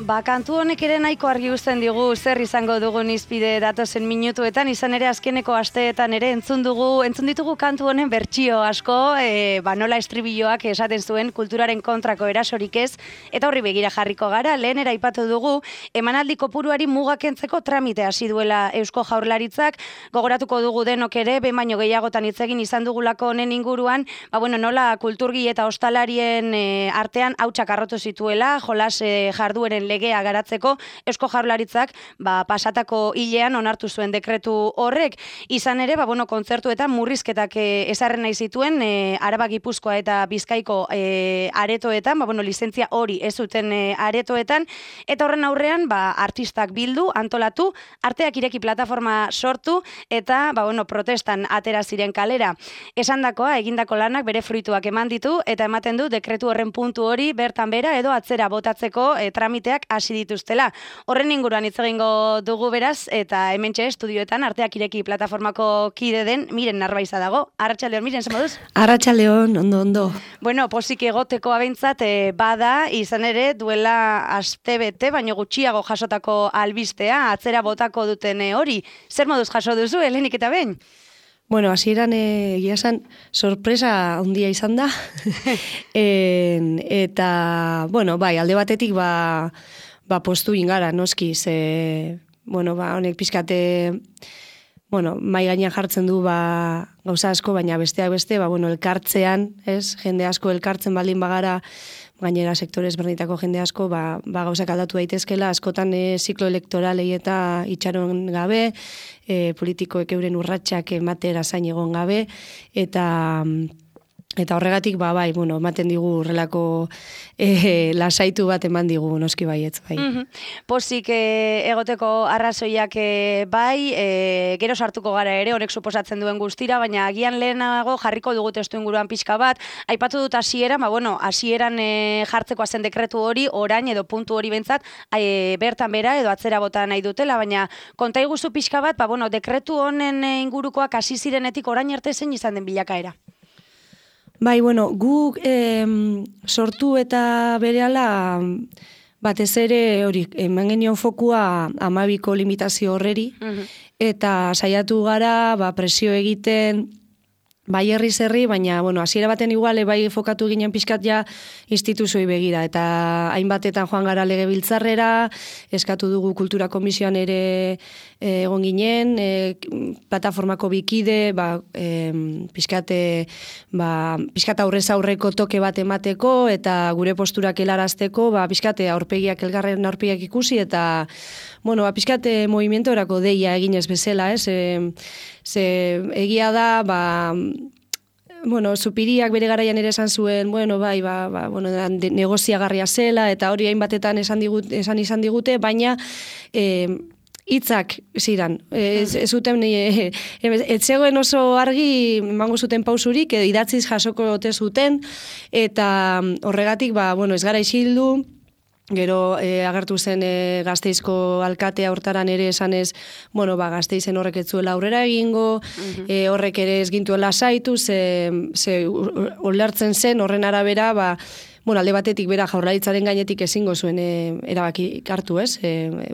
Kantu honek ere nahiko argi uzten digu zer izango dugun izpide datozen minutuetan, izan ere azkeneko asteetan ere entzun ditugu kantu honen bertsio asko, nola estribilloak esaten zuen kulturaren kontrako erasorik ez, eta horri begira jarriko gara, lehen aipatu dugu, emanaldi kopuruari mugakentzeko tramite hasi duela Eusko Jaurlaritzak, gogoratuko dugu denok ere, behin baino gehiagotan hitz egin izan dugulako honen inguruan, nola kulturgi eta ostalarien artean hautsak arrotu zituela, jolas jardueren legea garatzeko, Eusko Jaurlaritzak pasatako hilean onartu zuen dekretu horrek. Izan ere, kontzertuetan murrizketak ezarri nahi zituen Araba, Gipuzkoa eta Bizkaiko aretoetan, lizentzia hori ez zuten aretoetan, eta horren aurrean artistak bildu, antolatu, arteak ireki plataforma sortu, eta protestan atera ziren kalera. Esandakoa, egindako lanak bere fruituak eman ditu, eta ematen du dekretu horren puntu hori bertan bera edo atzera botatzeko tramiteak hasi dituztela. Horren inguruan hitz egingo dugu beraz, eta hementxe estudioetan arteak ireki plataformako kide den Miren Narbaiza dago. Arratsaldeon, Miren, zer moduz? Arratsaldeon, ondo. Posik egoteko abentzat bada, izan ere duela astebete, baino gutxiago jasotako albistea, atzera botako duten hori. Zer moduz jaso duzu, lehenik eta behin? Hasieran egia esan sorpresa handia izan da. Eta, alde batetik postu ingara, noski, honek pixkate, mai gainean jartzen du gauza asko, baina besteak beste, elkartzean, jende asko elkartzen baldin bagara, gainera sektore ezberdinetako jende asko, gauzak aldatu daitezkela, askotan ziklo elektoralei eta itxaron gabe, politikoek euren urratsak ematera zain egon gabe, eta horregatik, ematen digu horrelako lasaitu bat eman digu, noski baietz, bai. Pozik egoteko arrazoiak gero sartuko gara ere, horrek suposatzen duen guztira, baina agian lehenago jarriko dugu testu inguruan pixka bat, aipatu dut hasieran, hasieran jartzeko zen dekretu hori, orain edo puntu hori bentzat, bertan bera edo atzera bota nahi dutela, baina konta iguzu pixka bat, dekretu honen ingurukoak hasi zirenetik orain arte zein izan den bilakaera. Guk sortu eta berehala batez ere hori, eman genion fokua 12ko limitazio horreri, eta saiatu gara presio egiten herri, baina, hasiera baten igual, fokatu ginen pixkat ja instituzioi begira, eta hainbatetan joan gara legebiltzarrera, eskatu dugu kultura komisioan ere egon ginen, plataformako bikide, pixkat aurrez aurreko toke bat emateko, eta gure posturak helarazteko, pixkat elgarren aurpegiak ikusi, eta, pixkat movimentorako deia eginez bezala, egia da, Zupiriak bere garaian ere esan zuen, negoziagarria zela, eta hori hainbatetan esan izan digute, baina hitzak ziren. Ez zegoen oso argi emango zuten pausurik, edo idatziz jasoko ote zuten, eta horregatik, ez gara isildu, gero agertu zen Gasteizko alkatea hortaran ere esanez, Gasteizen horrek ez zuela aurrera egingo, horrek ere ez gintuela saitu, ze olertzen zen horren arabera, alde batetik bera Jaurlaritzaren gainetik ezingo zuen erabaki hartu,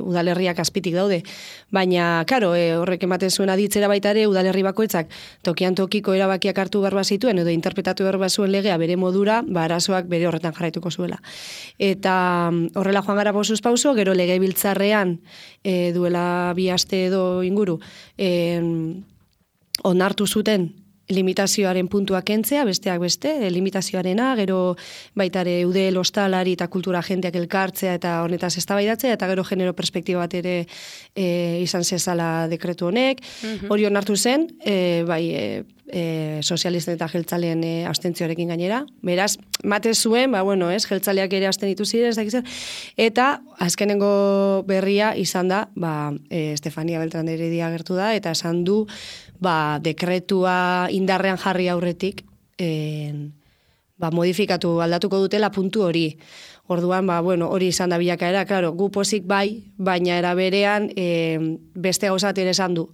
udalerriak azpitik daude. Baina, karo, horrek ematen zuen aditzera baita ere, udalerri bakoitzak tokian tokiko erabakiak hartu behar zituen, edo interpretatu behar zuen legea bere modura, arazoak bere horretan jarraituko zuela. Eta horrela joan gara pausuz pauso, gero legebiltzarrean duela 2 aste edo inguru, onartu zuten limitazioaren puntuak kentzea, besteak beste, limitazioarena, gero baitare udel, ostalari eta kultura jendeak elkartzea eta honetaz eztabaidatzea, eta gero genero perspektiba bat ere izan zezala dekretu honek. Hori onartu zen, sozialisten eta jeltzaleen abstentzioarekin gainera. Beraz, mate zuen, jeltzaleak ere abstenitu ziren, eta azkenengo berria izan da, Estefania Beltrán de Heredia agertu da, eta esan du, dekretua indarrean jarri aurretik, modifikatu aldatuko dutela puntu hori. Orduan, hori izan da bilakaera, klaro, gu pozik baina era berean beste gauzat ere esan du.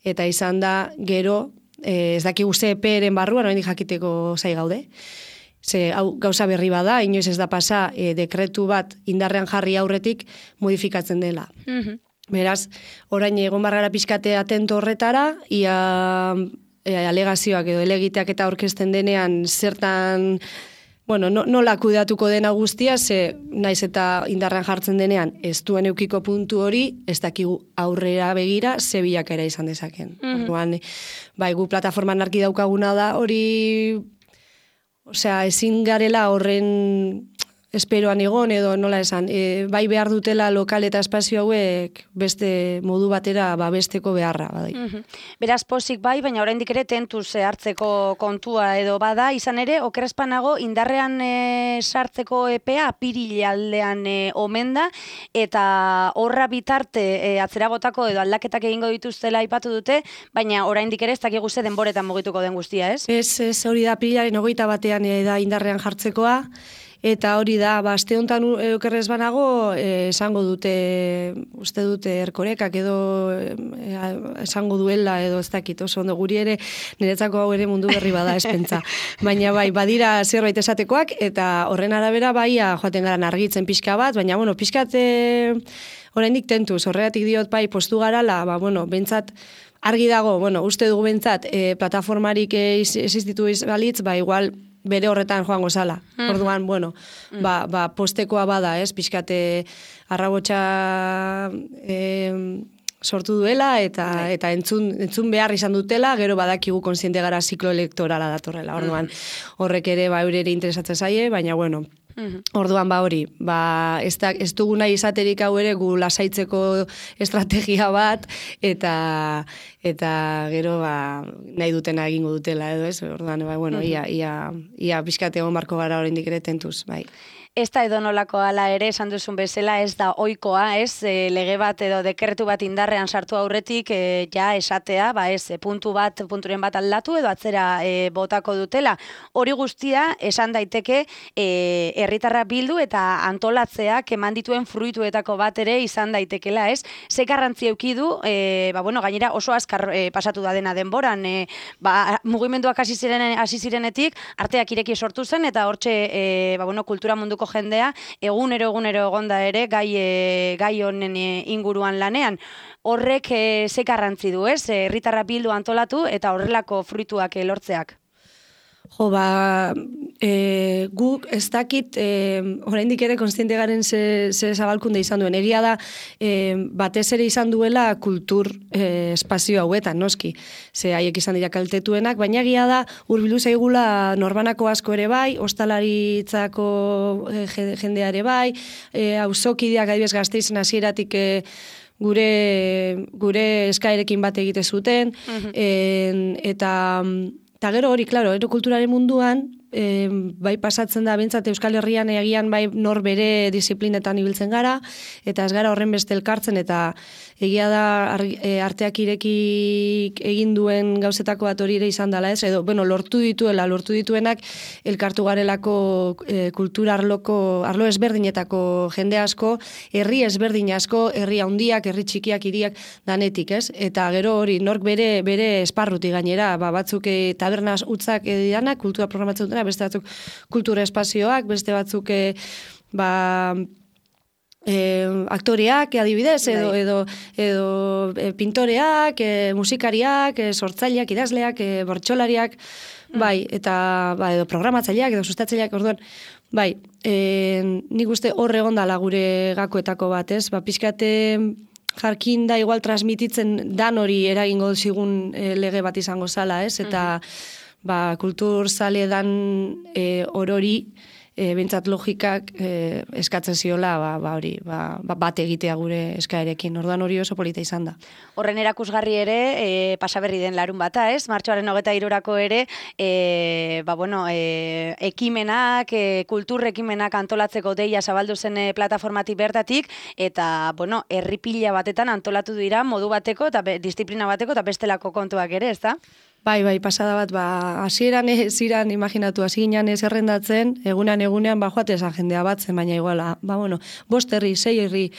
Eta izan da, gero, ez dakigu ze eperen barruan, oraindik jakiteko zai gaude. Ze hau gauza berri bada, inoiz ez da pasa dekretu bat indarrean jarri aurretik modifikatzen dela. Beraz, orain egon barrara pixkate atento horretara, ia alegazioak edo elegiteak eta aurkezten denean zertan, bueno, nola kudeatuko dena guztia, ze naiz eta indarrean jartzen denean ez duen eukiko puntu hori, ez dakigu aurrera begira ze bilakaera izan dezaken. Orduan, bai, gu plataforman argi daukaguna da hori, osea, ezin garela horren esperoan egon edo nola esan, bai behar dutela lokal eta espazio hauek beste modu batera babesteko beharra. Badai. Beraz pozik bai, baina oraindik ere tentuz hartzeko kontua edo bada, izan ere, okerrezpanago indarrean sartzeko epea apirilealdean omen da, eta horra bitarte atzera botako edo aldaketak egingo dituztela aipatu dute, baina oraindik ere ez dakigu ze denboretan mugituko den guztia, ez? Ez, hori da apirilaren 21 da indarrean jartzekoa, eta hori da, aste honetan okerrez banago, esango dute, uste dute Erkorekak edo esango duela edo ez dakit, oso ondo guri ere, niretzako hau ere mundu berri bada espentza. Baina bai, badira zerbait esatekoak, eta horren arabera bai, joaten garan argitzen pixka bat, baina bueno, pixkat oraindik tentuz, horregatik diot bai, postu garala, bentsat, argi dago, uste dugu bentsat, plataformarik existitu balitz, igual, bere horretan joango zala. Orduan, postekoa bada, ez, pixkate arrabotsa sortu duela eta entzun behar izan dutela, gero badakigu konsiente gara ziklo elektorala datorrela. Orduan, horrek ere eurere interesatzen zaie, baina orduan hori, ez dugu nahi izaterik hau ere gu lasaitzeko estrategia bat, eta gero nahi dutena egingo dutela edo ez, orduan, ia pixkate egon barko gara oraindik ere tentuz, bai. Ez da edonolako ala ere, esan duzun bezala, ez da ohikoa, ez, lege bat edo dekretu bat indarrean sartu aurretik, ja esatea, punturen bat aldatu edo atzera botako dutela. Hori guztia, esan daiteke, herritarra bildu eta antolatzeak eman dituen fruituetako bat ere izan daitekela, ez? Ze garrantzi eduki du, gainera oso azkar pasatu da dena denboran, mugimenduak hasi zirenetik, arteak ireki sortu zen, eta hortxe, kultura munduko jendea, egunero egonda ere gai honen inguruan lanean. Horrek ze garrantzi du, ez? Herritarra bildu antolatu eta horrelako fruituak lortzeak. Guk ez dakit, oraindik ere konstiente garen ze zabalkunde izan duen. Egia da, batez ere izan duela kultur espazio hauetan, noski. Ze haiek izan dira kaltetuenak, baina egia da, hurbildu zaigula norbanako asko ere bai, ostalaritzako jendeare bai, auzokideak adibidez Gasteizen hasieratik gure eskaerekin bat egite zuten, eta gero hori, klaro, kulturaren munduan, bai pasatzen da, bentsat Euskal Herrian egian bai nor bere disiplinetan ibiltzen gara, eta ez gara horren beste elkartzen, eta egia da arteak irekik egin duen gauzetako bat hori ere izan dela, ez? Edo, lortu dituenak elkartu garelako kultura arlo ezberdinetako jende asko, herri ezberdin asko, herri handiak, herri txikiak, hiriak danetik, ez? Eta gero hori, nork bere esparruti gainera, batzuk tabernaz utzak didanak, kultura programatzen dutena, beste batzuk kultura espazioak, beste batzuk aktoreak adibidez, edo pintoreak, musikariak, sortzaileak, idazleak, bortxolariak, eta edo programatzaileak, edo sustatzaileak, orduan, nik uste hor egon dala gure gakoetako bat, ez? Pixkate jarkin da igual transmititzen dan hori eragingo zigun lege bat izango zala, ez? Eta kultur zale dan orori, bentsat logikak eskatzen ziola bat egitea gure eskaerekin. Orduan hori oso polita izan da. Horren erakusgarri ere, pasaberri den larun bata, ez? Martxoaren 23rako ere, ekimenak, kultur ekimenak antolatzeko deia zabaldu zen plataformatik bertatik, eta, herri pila batetan antolatu dira modu bateko, eta disiplina bateko, eta bestelako kontuak ere, ez da? Bai, pasada bat, hasieran ziran, imaginatu, hasi ginen zerrendatzen, egunean joate esan jendea batzen, baina iguala, 5 herri, 6 herri,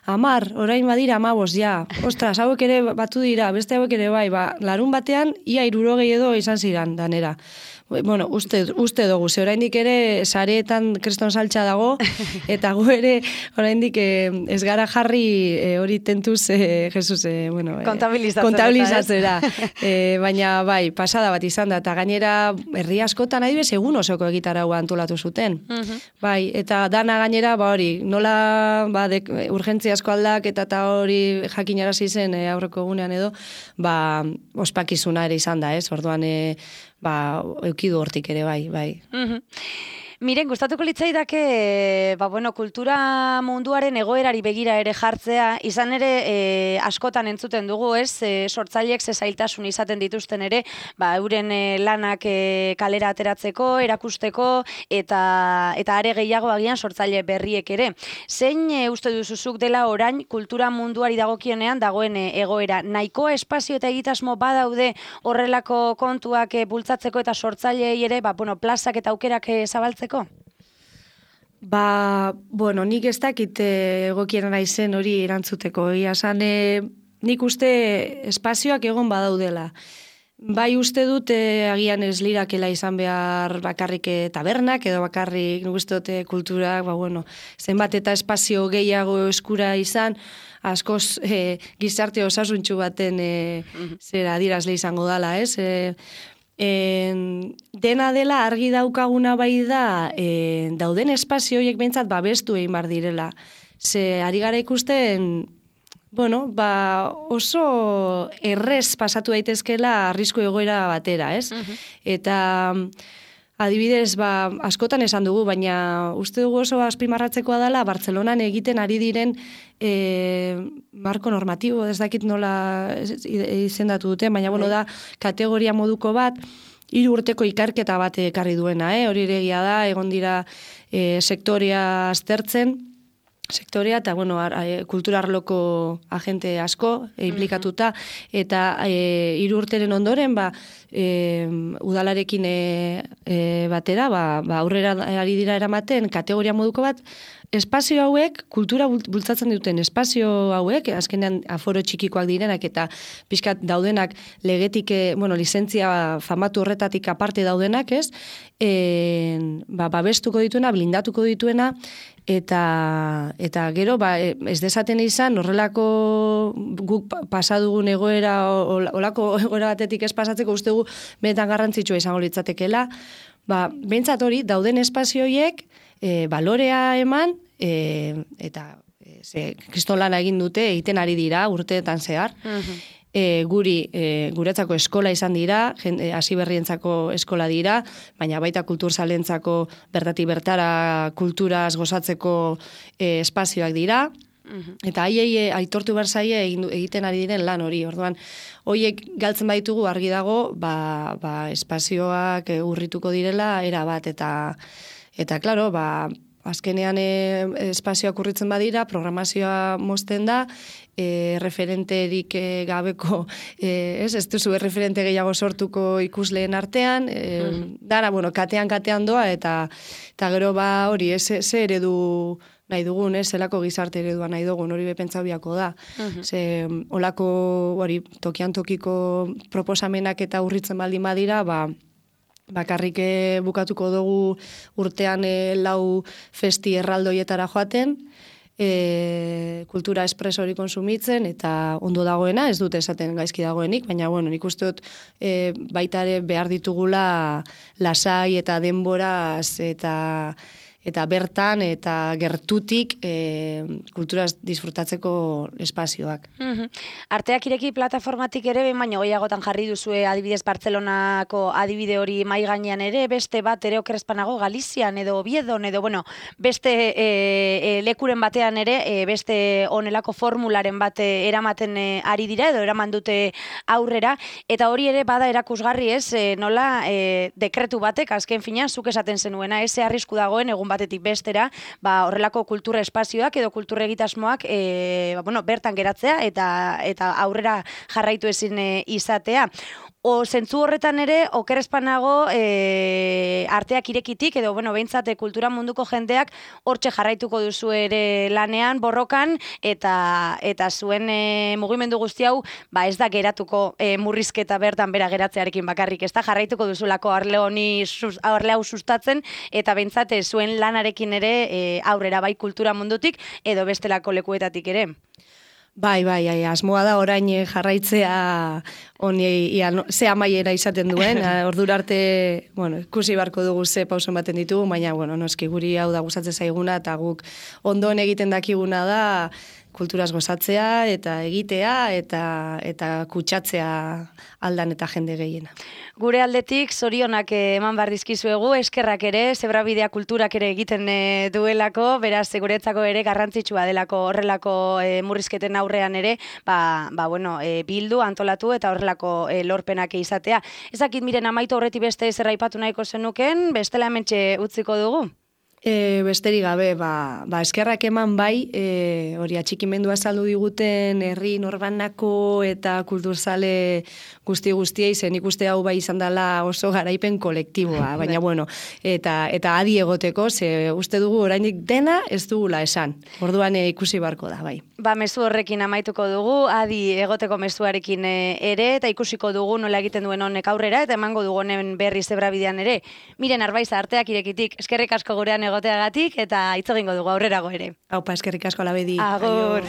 10, orain badira 15, ja, ostras, hauek ere batu dira, beste hauek ere bai, larun batean, ia 60 edo izan ziran, danera. bueno, uste dugu, ze oraindik ere sareetan kriston saltza dago, eta gu ere oraindik ez gara jarri hori tentuz, Jesus, bueno, kontabilizatzera. Baina bai, pasada bat izan da, eta gainera herri askotan adibidez egun osoko egitaraua antolatu zuten. Bai, eta dana gainera, hori, nola urgentziazko aldaketa eta hori jakinarazi zen aurreko egunean edo, ospakizuna ere izan da, ez? Orduan, eukidu hortik ere, bai. Miren, gustatuko litzaidake, kultura munduaren egoerari begira ere jartzea, izan ere askotan entzuten dugu, ez? Sortzaileek zailtasun izaten dituzten ere, euren lanak kalera ateratzeko, erakusteko, eta are gehiago agian sortzaile berriek ere. Zein uste duzuzuk dela orain kultura munduari dagokionean dagoen egoera? Nahikoa espazio eta egitasmo badaude horrelako kontuak bultzatzeko eta sortzaileei ere, plazak eta aukerak zabaltzeko? Nik ez dakit egokiena naizen hori erantzuteko. Nik uste espazioak egon badaudela. Bai uste dut agian ez lirakela izan behar bakarrik tabernak, edo bakarrik nik uste dute kulturak, zenbat eta espazio gehiago eskura izan, askoz gizarte osasuntxu baten adirazle izango dala, ez? Dena dela argi daukaguna bai da dauden espazio horiek behintzat babestu egin bar direla. Ze ari gara ikusten oso errez pasatu daitezkela arrisku egoera batera, ez? Eta adibidez, askotan esan dugu, baina uste dugu oso azpimarratzekoa dela Bartzelonan egiten ari diren marko normatibo, ez dakit nola izendatu dute, baina da kategoria moduko bat, 3 urteko ikerketa bat ekarri duena, hori ere egia da, egon dira sektorea aztertzen, eta kulturarloko agente asko implikatuta, eta 3 urteren ondoren udalarekin batera aurrera ari dira eramaten kategoria moduko bat, espazio hauek, kultura bultzatzen duten espazio hauek, azkenean aforo txikikoak direnak eta pixkat daudenak legetik, lizentzia famatu horretatik aparte daudenak, ez? Babestuko dituena, blindatuko dituena, eta gero, ez dezaten izan, horrelako guk pasadugun egoera, olako egoera batetik ez pasatzeko uste gu benetan garrantzitsua izango litzatekela, behintzat hori, dauden espazioiek, balorea eman, eta kristolana egin dute, egiten ari dira, urteetan zehar, guretzako eskola izan dira, hasi berrientzako eskola dira, baina baita kulturzalentzako bertatik bertara kulturaz gozatzeko espazioak dira, eta haiei aitortu berzaie egiten ari diren lan hori. Orduan, horiek galtzen baitugu argi dago, espazioak urrituko direla erabat, eta klaro, azkenean espazioak urritzen badira, programazioa mozten da, referenterik gabeko, ez duzu referente gehiago sortuko ikusleen artean, dara, katean doa, eta gero hori, ze eredu nahi dugun, zelako gizarte eredua nahi dugun, hori bepentzau biako da. Olako, hori, tokian tokiko proposamenak eta urritzen baldin badira, bakarrik bukatuko dugu urtean 4 festi erraldoietara joaten, kultura espres hori konsumitzen, eta ondo dagoena, ez dute esaten gaizki dagoenik, baina nik uste dut baita ere behar ditugula lasai eta denboraz eta bertan eta gertutik kulturaz disfrutatzeko espazioak. Arteak ireki plataformatik ere, baina gehiagotan jarri duzue adibidez Bartzelonako adibide hori mai gainean ere, beste bat ere okerrezpanago Galizian edo Oviedon edo, beste lekuren batean ere, beste onelako formularen bat eramaten ari dira edo eraman dute aurrera, eta hori ere bada erakusgarri ez, nola dekretu batek, azken fina, zuk esaten zenuena, eze arrisku dagoen egun batetik bestera, horrelako kultura espazioak edo kultura egitasmoak bertan geratzea eta aurrera jarraitu ezin izatea. zentzu horretan ere, okerrezpanago arteak irekitik, edo, bueno, behintzat kultura munduko jendeak hortxe jarraituko duzu ere lanean, borrokan, eta zuen mugimendu guzti hau, ba ez da geratuko murrizketa bertan bera geratzearekin bakarrik, ez da jarraituko duzulako arle hau sustatzen, eta behintzat zuen lanarekin ere aurrera bai kultura mundutik, edo bestelako lekuetatik ere. Bai, asmoa da orain jarraitzea ze amaiera izaten duen, ordura arte, bueno, ikusi barko dugu ze pauso ematen ditugu, baina, bueno, noski guri hau da gustatzen zaiguna, eta guk ondoen egiten dakiguna da, kulturaz gozatzea, eta egitea, eta kutsatzea aldan eta jende gehiena. Gure aldetik, zorionak eman behar dizkizuegu, eskerrak ere, zebrabidea kulturak ere egiten duelako, beraz, guretzako ere garrantzitsua delako horrelako murrizketen aurrean ere, bueno, bildu, antolatu eta horrelako lorpenak izatea. Ezakit, miren, amaitu horreti beste zer aipatu nahiko zenuken, bestela hementxe utziko dugu? Besterik gabe, eskerrak eman bai, hori atxikimendua saldu diguten herri norbanako eta kulturzale guztiei, zen ikuste hau bai izan dela oso garaipen kolektiboa, baina bueno, eta adi egoteko, ze uste dugu orainik dena ez dugula esan, orduan ikusi barko da, bai. Mezu horrekin amaituko dugu, adi egoteko mezuarekin ere, eta ikusiko dugu nola egiten duen honek aurrera, eta emango dugu honen berri zebrabidean ere. Miren, Arbaiza, arteak irekitik, eskerrik asko gurean egoteagatik, eta hitz egingo dugu aurrerago ere. Aupa, eskerrik asko Labedi. Agur.